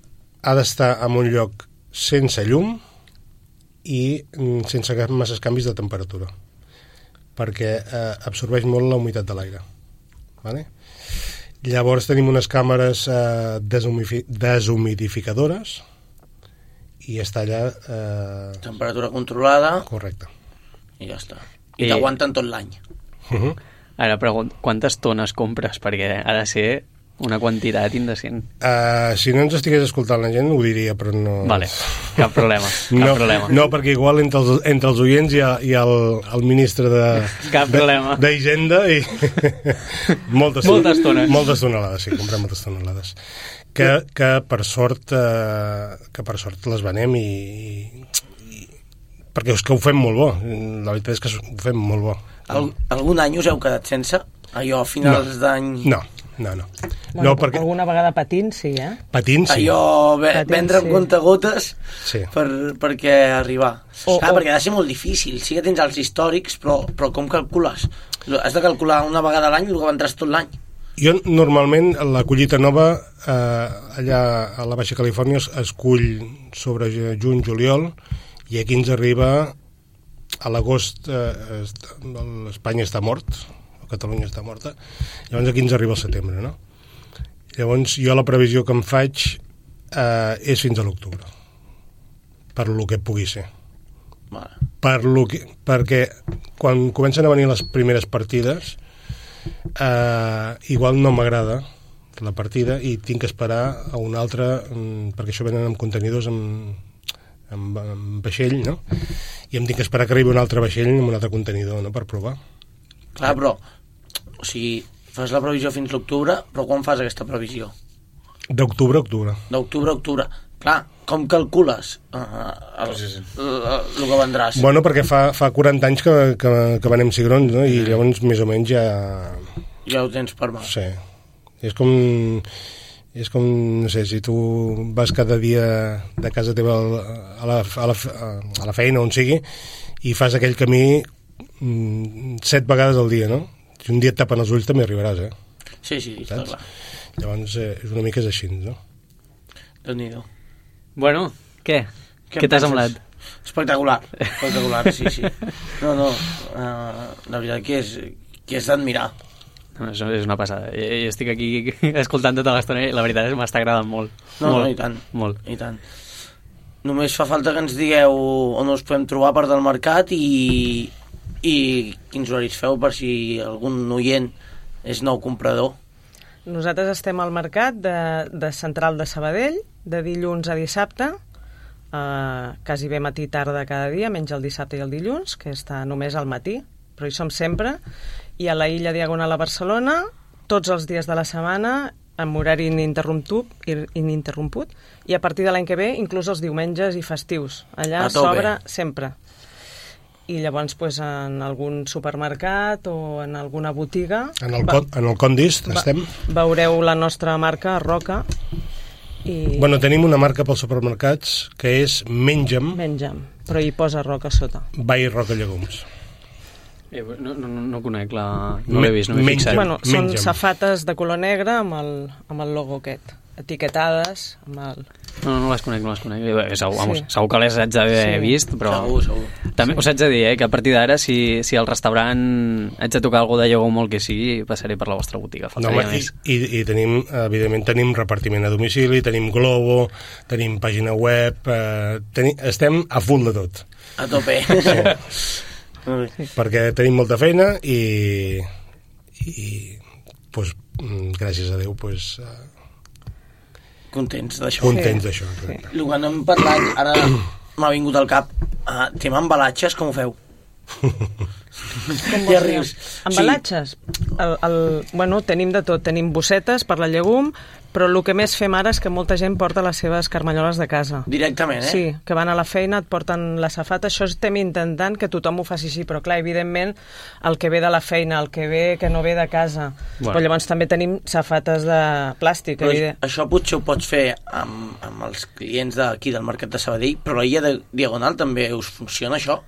ha d'estar en un lloc sense llum i sense masses canvis de temperatura, perquè absorbeix molt la humitat de l'aire, vale? Llavors tenim unes càmeres deshumidificadores i està allà temperatura controlada. Correcte. I ja està. I t'aguanten tot l'any. Ara pregunto, quantes tones compres? Perquè ha de ser una quantitat indecent. Si no ens estigués escoltant la gent ho diria, però no... Vale, cap problema. No, perquè igual entre els oients hi ha el ministre d'Hisenda i moltes tonelades, sí, comprem moltes tonelades. Que per sort les venem i perquè és que ho fem molt bo. La veritat és que ho fem molt bo. Algun any us heu quedat sense? Allò a finals d'any... No. Bueno, no, perquè... alguna vegada patins, sí, eh? Patins, sí. Allò, vendre amb comptagotes sí. perquè arribar. Perquè ha de ser molt difícil. Sí que tens els històrics, però com calcules? Has de calcular una vegada a l'any el que vendràs tot l'any. Jo, normalment, la collita nova, allà a la Baixa Califòrnia, es cull sobre juny, juliol, i aquí ens arriba a l'agost. Espanya està mort, Catalunya està morta, llavors aquí ens arriba el setembre, no? Llavors jo la previsió que em faig és fins a l'octubre, per lo que pugui ser. Perquè quan comencen a venir les primeres partides igual no m'agrada la partida i tinc que esperar a una altra, perquè això venen amb contenidors amb vaixell, no? I em tinc que esperar que arribi un altre vaixell amb un altre contenidor, no?, per provar. Clar, però o sigui, fas la previsió fins l'octubre, però quan fas aquesta previsió? D'octubre a octubre. D'octubre a octubre. Clar, com calcules el que vendràs? Bueno, perquè fa 40 anys que venem cigrons, no? I llavors més o menys ja... Ja ho tens per mà. Sí. És com, no sé, si tu vas cada dia de casa teva a la feina, on sigui, i fas aquell camí 7 vegades al dia, no? Si un dia et tapen els ulls també arribaràs, Sí, està clar. Llavors una mica és així, no? Déu-n'hi-do. Bueno, què? Què t'ha semblat? Espectacular, sí. No, la veritat que és d'admirar. No, és una passada. Jo estic aquí escoltant tota l'estona i la veritat és que m'està agradant molt. No, i tant. Molt. I tant. Només fa falta que ens digueu on us podem trobar a part del mercat i quins horaris feu per si algun oient és nou comprador. Nosaltres estem al mercat de Central de Sabadell, de dilluns a dissabte, quasi bé matí tarda cada dia, menys el dissabte i el dilluns, que està només al matí, però hi som sempre, i a la Illa Diagonal a Barcelona, tots els dies de la setmana, amb horari ininterromput, i a partir de l'any que ve, inclús els diumenges i festius. Allà s'obre sempre. I llavors en algun supermercat o en alguna botiga... En el Condis estem? Veureu la nostra marca, Roca. Bueno, tenim una marca pels supermercats que és Menja'm, però hi posa Roca sota. by Roca Llegums. No conec no l'he vist, no m'he fixat. Bueno, són safates de color negre amb el logo aquest, etiquetades amb el... No les conec. Segur que les haig d'haver vist, però... Segur. També us haig de dir que a partir d'ara, si al restaurant haig de tocar alguna de llegum molt que sigui, passaré per la vostra botiga. I tenim, evidentment, tenim repartiment a domicili, tenim Globo, tenim pàgina web, estem a full de tot. A tope. Perquè tenim molta feina i gràcies a Déu contents d'això. Sí. El que no hem parlat, ara m'ha vingut al cap, tema embalatges, com ho feu? Ja rius. Embalatges? Bueno, tenim de tot. Tenim bossetes per la llegum, però el que més fem ara és que molta gent porta les seves carmanyoles de casa. Directament, Sí, que van a la feina, et porten la safata. Això estem intentant que tothom ho faci així, però clar, evidentment, el que ve de la feina, el que no ve de casa. Bueno. Però llavors també tenim safates de plàstic. Això potser ho pots fer amb els clients d'aquí del Mercat de Sabadell, però a l'Illa de Diagonal també us funciona això?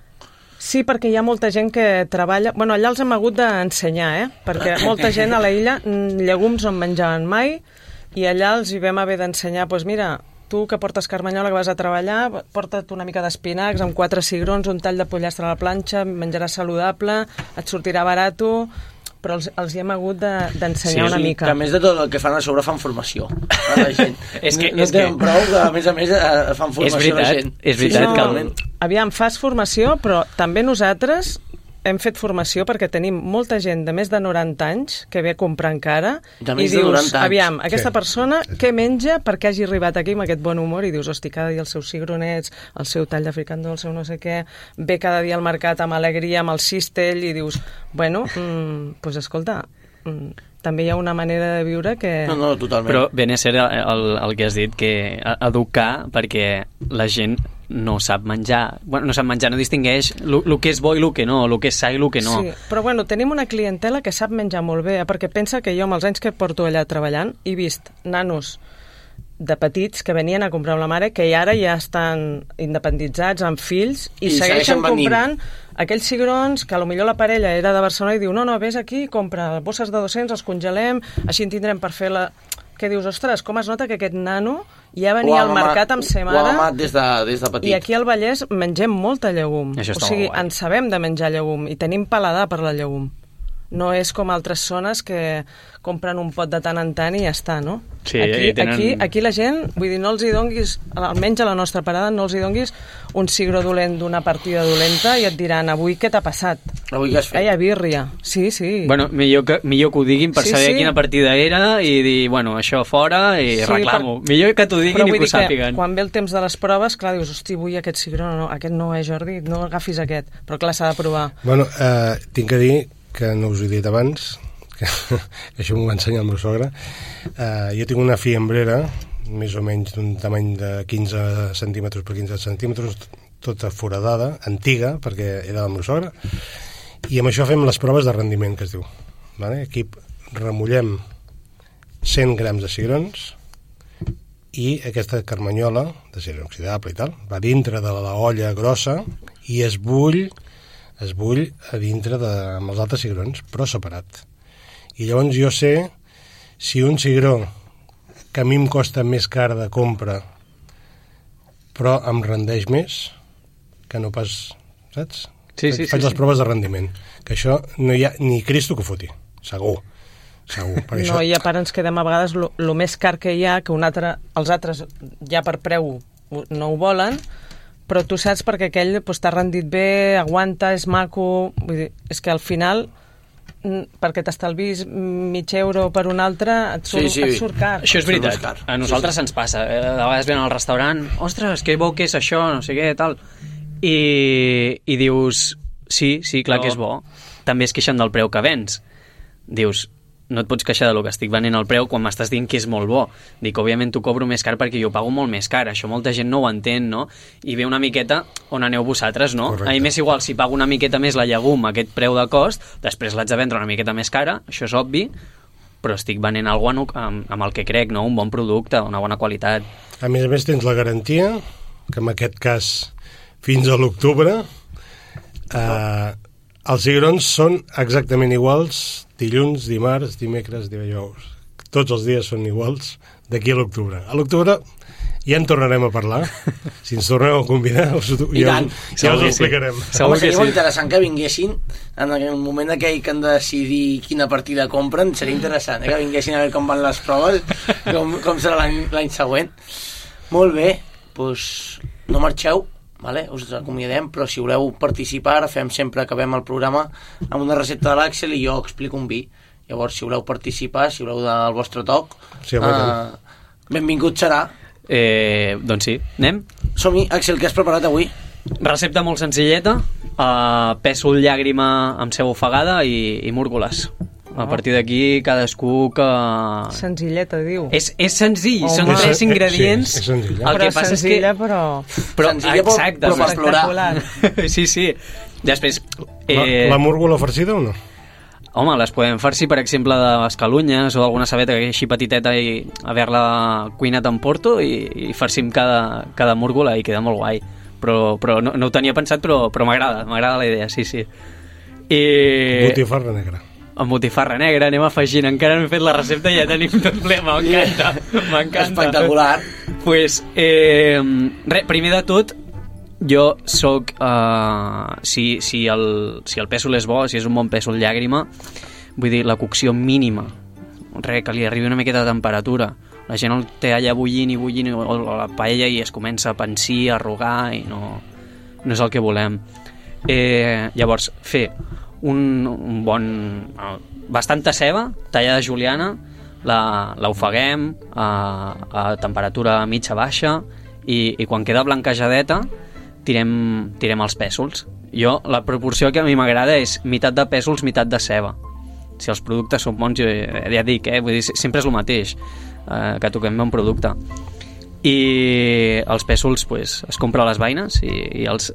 Sí, perquè hi ha molta gent que treballa... Bueno, allà els hem hagut d'ensenyar, perquè molta gent a la illa llegums no en menjaven mai i allà els hi vam haver d'ensenyar, doncs mira, tu que portes carmanyola, que vas a treballar, porta't una mica d'espinacs amb 4 cigrons, un tall de pollastre a la planxa, menjaràs saludable, et sortirà barato... però els hi hem hagut d'ensenyar una mica. Que a més de tot el que fan a sobre fan formació a la gent. No tenen prou que a més fan formació a la gent. És veritat. Aviam, fas formació, però també nosaltres hem fet formació perquè tenim molta gent de més de 90 anys que ve a comprar encara i dius, aviam, aquesta persona què menja perquè hagi arribat aquí amb aquest bon humor i dius, hosti, cada dia els seus cigronets, el seu tall de fricandó, el seu no sé què, ve cada dia al mercat amb alegria, amb el cistell i dius, bueno, doncs escolta, també hi ha una manera de viure que... No, totalment. Però ben és cert el que has dit, que educar perquè la gent no sap menjar, no distingeix el que és bo i el que no, el que és sa i el que no. Sí, però bueno, tenim una clientela que sap menjar molt bé, perquè pensa que jo amb els anys que porto allà treballant he vist nanos de petits que venien a comprar amb la mare que ara ja estan independitzats amb fills i segueixen comprant aquells cigrons que potser la parella era de Barcelona i diu, no, vés aquí, compra bosses de 200, els congelem, així en tindrem per fer la... Que dius, ostres, com es nota que aquest nano ja venia al mercat amb sa mare... Ho ha amat des de petit. I aquí al Vallès mengem molta llegum. O sigui, en sabem de menjar llegum i tenim paladar per la llegum. No és com altres zones que compren un pot de tant en tant i ja està, no? Sí, aquí la gent, vull dir, no els hi donguis, almenys a la nostra parada, no els hi donguis un cigró dolent d'una partida dolenta i et diran, avui què t'ha passat? Avui què has fet? Hi ha birria. Sí. Bueno, millor que ho diguin per saber quina partida era i dir, bueno, això fora i reclamo. Millor que t'ho diguin i que ho sàpiguen. Quan ve el temps de les proves, clar, dius, hosti, vull aquest cigró, no, aquest no Jordi, no agafis aquest. Però clar, s'ha de provar. Bueno, tinc que dir que no us ho he dit abans, que això m'ho va ensenyar el meu sogre. Jo tinc una fiambrera, més o menys d'un tamany de 15 centímetres per 15 centímetres, tota foradada, antiga, perquè era del meu sogre, i amb això fem les proves de rendiment, que es diu. Vale? Aquí remullem 100 grams de cigrons i aquesta carmanyola de cigró inoxidable i tal, va dintre de la olla grossa i es bull es bull a dintre amb els altres cigrons, però separat. I llavors jo sé si un cigró que a mi em costa més car de compra però em rendeix més que no pas, saps? Sí. Faig les proves de rendiment, que això no hi ha ni Cristo que foti, segur. Per no, això... i a part ens quedem a vegades el més car que hi ha, que els altres ja per preu no ho volen, però tu saps perquè aquell t'ha rendit bé, aguanta, és maco, vull dir, és que al final perquè t'estalvis mig euro per un altre et surt car. Això és veritat, a nosaltres ens passa, de vegades ven al restaurant, ostres, que bo que és això, no sé què, tal, i dius sí, clar que és bo, també es queixen del preu que vens, dius no et pots queixar del que estic venent al preu quan m'estàs dient que és molt bo. Dic, òbviament t'ho cobro més car perquè jo pago molt més car. Això molta gent no ho entén, no? I ve una miqueta on aneu vosaltres, no? Correcte. A mi m'és igual si pago una miqueta més la llegum a aquest preu de cost, després l'haig de vendre una miqueta més cara, això és obvi, però estic venent alguna cosa amb el que crec, no? Un bon producte, una bona qualitat. A més tens la garantia, que en aquest cas fins a l'octubre els cigrons són exactament iguals dilluns, dimarts, dimecres, dijous. Tots els dies són iguals d'aquí a l'octubre. A l'octubre ja en tornarem a parlar. Si ens torneu a convidar, ja us ho explicarem. Home, seria molt interessant que vinguessin en el moment aquell que han de decidir quina partida compren. Seria interessant, que vinguessin a veure com van les proves, com serà l'any següent. Molt bé, doncs no marxeu. Vale? Us acomiadem, però si voleu participar, fem sempre, acabem el programa amb una recepta de l'Àxel i jo explico un vi. Llavors, si voleu participar, si voleu del vostre toc, benvingut serà. Doncs sí, anem? Som-hi. Àxel, què has preparat avui? Recepta molt senzilleta, pèsol, llàgrima amb ceba ofegada i múrgoles. A partir d'aquí, cadascú que... Senzilleta, diu. És senzill, són 3 ingredients. Sí, és senzilla. El que passa senzilla, és que... però senzilla, exacte, però per explorar. Sí. Després... La múrgola farcida o no? Home, les podem farcir, per exemple, d'escalunyes o alguna sabeta que així petiteta i haver-la cuinat en porto i farcim cada múrgola i queda molt guai. Però no ho tenia pensat, però m'agrada la idea, sí. Botifarra negra. Amb botifarra negra, anem afegint, encara no he fet la recepta i ja tenim tot ple, m'encanta. Espectacular. Pues, primer de tot, jo soc, si el pèsol és bo, si és un bon pèsol llàgrima, vull dir, la cocció mínima, que li arribi una miqueta de temperatura, la gent el té allà bullint o la paella i es comença a pansir, a arrugar i no és el que volem. Llavors, fer un bon... bastanta ceba, tallada juliana, l'ofeguem a temperatura mitja-baixa i quan queda blanquejadeta tirem els pèsols. Jo, la proporció que a mi m'agrada és meitat de pèsols, meitat de ceba. Si els productes són bons, ja dic, vull dir, sempre és el mateix, que toquem bon producte. I els pèsols es compra les beines i els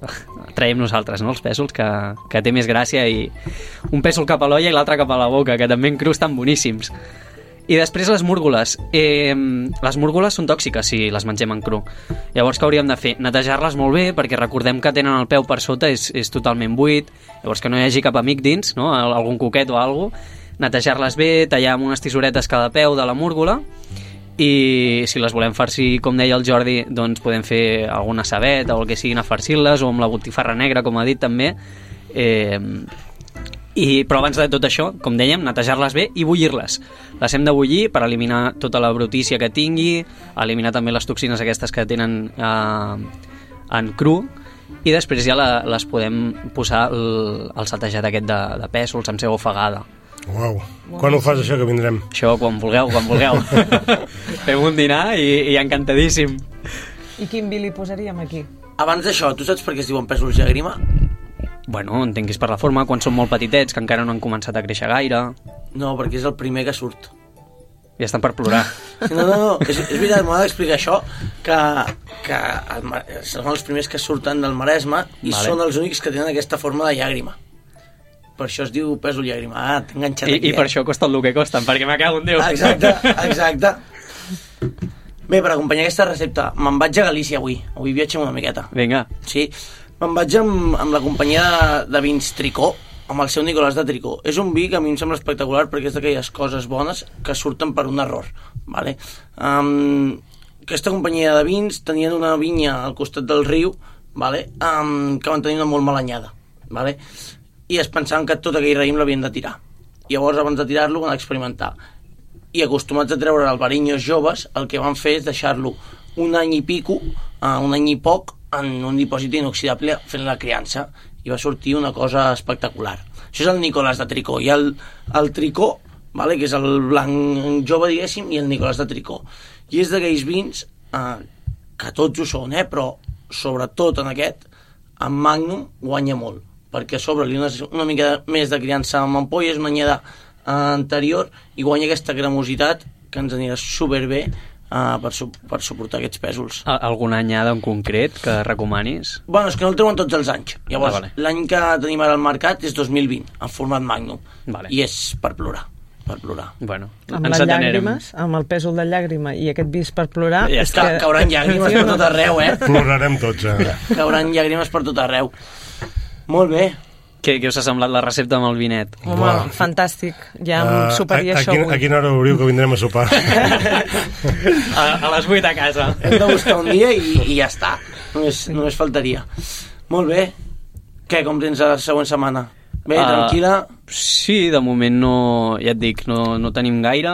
traiem nosaltres, no? Els pèsols, que té més gràcia, i un pèsol cap a l'olla i l'altre cap a la boca, que també en cru estan boníssims. I després les múrgoles. Les múrgoles són tòxiques si les mengem en cru. Llavors, què hauríem de fer? Netejar-les molt bé, perquè recordem que tenen el peu per sota, és totalment buit, llavors que no hi hagi cap amic dins, no? Algun coquet o alguna cosa. Netejar-les bé, tallar amb unes tisoretes cada peu de la múrgola, i si les volem farcir, com deia el Jordi, doncs podem fer alguna sabeta o el que siguin a farcir-les, o amb la botifarra negra, com ha dit també. Però abans de tot això, com dèiem, netejar-les bé i bullir-les. Les hem de bullir per eliminar tota la brutícia que tingui, eliminar també les toxines aquestes que tenen en cru, i després ja les podem posar el saltejat aquest de pèsols amb ceba ofegada. Uau, quan ho fas això, que vindrem? Això quan vulgueu. Fem un dinar i encantadíssim. I quin vi li posaríem aquí? Abans d'això, tu saps per què es diuen pèsols llàgrima? Bueno, entenc que és per la forma, quan són molt petitets, que encara no han començat a créixer gaire. No, perquè és el primer que surt. Ja estan per plorar. No, és veritat, m'ha d'explicar això, que són els primers que surten del Maresme i són els únics que tenen aquesta forma de llàgrima. Per això es diu pèsol llàgrima. T'he enganxat aquí. I per això costen el que costen, perquè me cago en Déu. Exacte. Bé, per acompanyar aquesta recepta, me'n vaig a Galícia avui. Avui viatgem una miqueta. Vinga. Sí. Me'n vaig amb la companyia de vins Tricó, amb el seu Nicolàs de Tricó. És un vi que a mi em sembla espectacular perquè és d'aquelles coses bones que surten per un error. Vale? Aquesta companyia de vins tenien una vinya al costat del riu, vale? Que van tenir una molt mala anyada. Vale? I es pensaven que tot aquell raïm l'havien de tirar. Llavors, abans de tirar-lo, van experimentar. I acostumats a treure el barinyos joves, el que van fer és deixar-lo un any i pico, un any i poc, en un dipòsit inoxidable fent la criança. I va sortir una cosa espectacular. Això és el Nicolàs de Tricó. Hi ha el Tricó, vale? Que és el blanc jove, diguéssim, i el Nicolàs de Tricó. I és d'aquells vins que tots ho són, però sobretot en aquest, en Magnum guanya molt, perquè a sobre li una mica més de criança amb ampolles, una anyada anterior, i guanya aquesta cremositat que ens anirà superbé per suportar aquests pèsols. Alguna anyada en concret que recomanis? Bueno, és que no el treuen tots els anys. Llavors, l'any que tenim ara al mercat és 2020, en format Magnum. Vale. I és per plorar. Per plorar. Bueno, amb les llàgrimes, amb el pèsol de llàgrima i aquest vis per plorar... Ja està, cauran llàgrimes per tot arreu, Plorarem tots, Cauran llàgrimes per tot arreu. Molt bé. Què us ha semblat la recepta amb el vinet? Home, fantàstic. Ja em superaria això avui. A quina hora obriu que vindrem a sopar? A les 8 a casa. Hem de buscar un dia i ja està. Només faltaria. Molt bé. Què, com tens la següent setmana? Bé, tranquil·la? Sí, de moment no, ja et dic, no tenim gaire.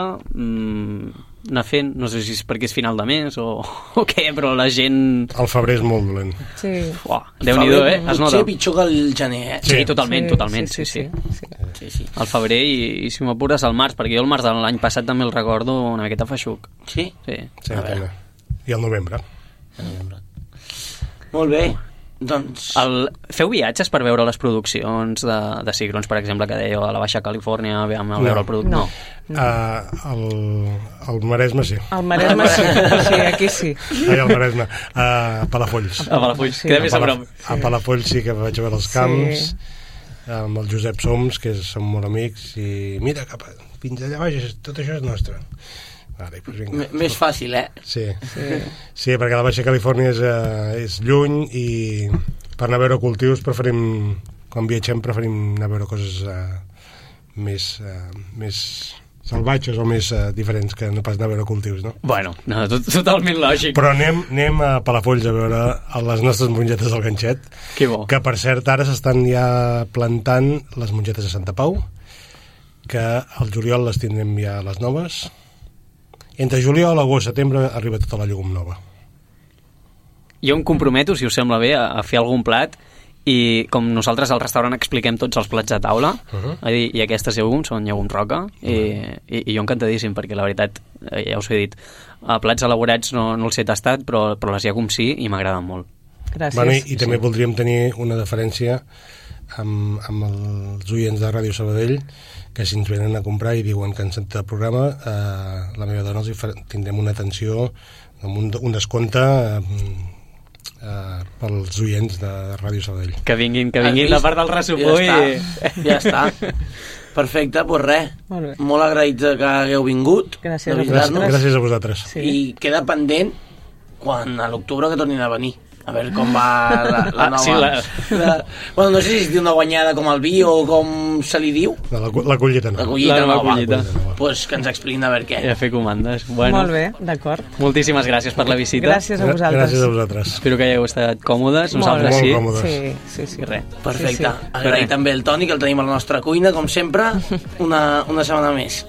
Anar fent, no sé si és perquè és final de mes o què, però la gent... El febrer és molt dolent. Sí. Déu-n'hi-do, es nota. Potser pitjor que el gener, Sí, totalment. Sí. El febrer i si m'apures el març, perquè jo el març de l'any passat també el recordo una miqueta feixuc. Sí? Sí, i el novembre. Molt bé. Doncs... Feu viatges per veure les produccions de cigrons, per exemple, que dèieu a la Baixa Califòrnia, a veure el producte? No. Al Maresme sí. Al Maresme sí, aquí sí. Al Maresme. A Palafolls. A Palafolls, queda més a prop. A Palafolls sí que vaig a veure els camps, amb el Josep Soms, que som molt amics, i mira, fins allà baix, tot això és nostre. Vale, pues més fàcil, Sí, perquè la Baixa Califòrnia és lluny i per anar a veure cultius quan viatgem preferim anar a veure coses més salvatges o més diferents que no pas anar a veure cultius, no? Bueno, no, totalment lògic. Però anem a Palafolls a veure les nostres mongetes del ganxet, que bo. Que per cert ara s'estan ja plantant les mongetes de Santa Pau, que al juliol les tindrem ja les noves. Entre juliol, agost, setembre arriba tota la llegum nova. Jo em comprometo, si us sembla bé, a fer algun plat i com nosaltres al restaurant expliquem tots els plats de taula, i aquestes llegums són llegums roca, i jo encantadíssim, perquè la veritat, ja us he dit, plats elaborats no els he tastat, però les llegums sí, i m'agraden molt. Gràcies. Bueno, i també voldríem tenir una deferència amb els oients de Ràdio Sabadell, que si ens venen a comprar i diuen que han sentit el programa, la meva dona tindrem una atenció amb un descompte pels oients de Ràdio Sabadell. Que vinguin la part del ressupó ja està. Perfecte, doncs res, molt agraïts que hagueu vingut. Gràcies a vosaltres. I queda pendent quan a l'octubre que tornin a venir, a veure com va la nova... Bueno, no sé si es diu una guanyada com el vi o com se li diu. La collita nova. La nova collita. Pues que ens expliquin a veure què. I a fer comandes. Bueno, molt bé, d'acord. Moltíssimes gràcies per la visita. Gràcies a vosaltres. Gràcies a vosaltres. Espero que hagueu estat còmodes. Nosaltres sí. Molt còmodes. Sí. Res. Perfecte. Agraïm també el Toni, que el tenim a la nostra cuina, com sempre, una setmana més.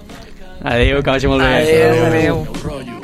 Adéu, que vagi molt bé. Adéu.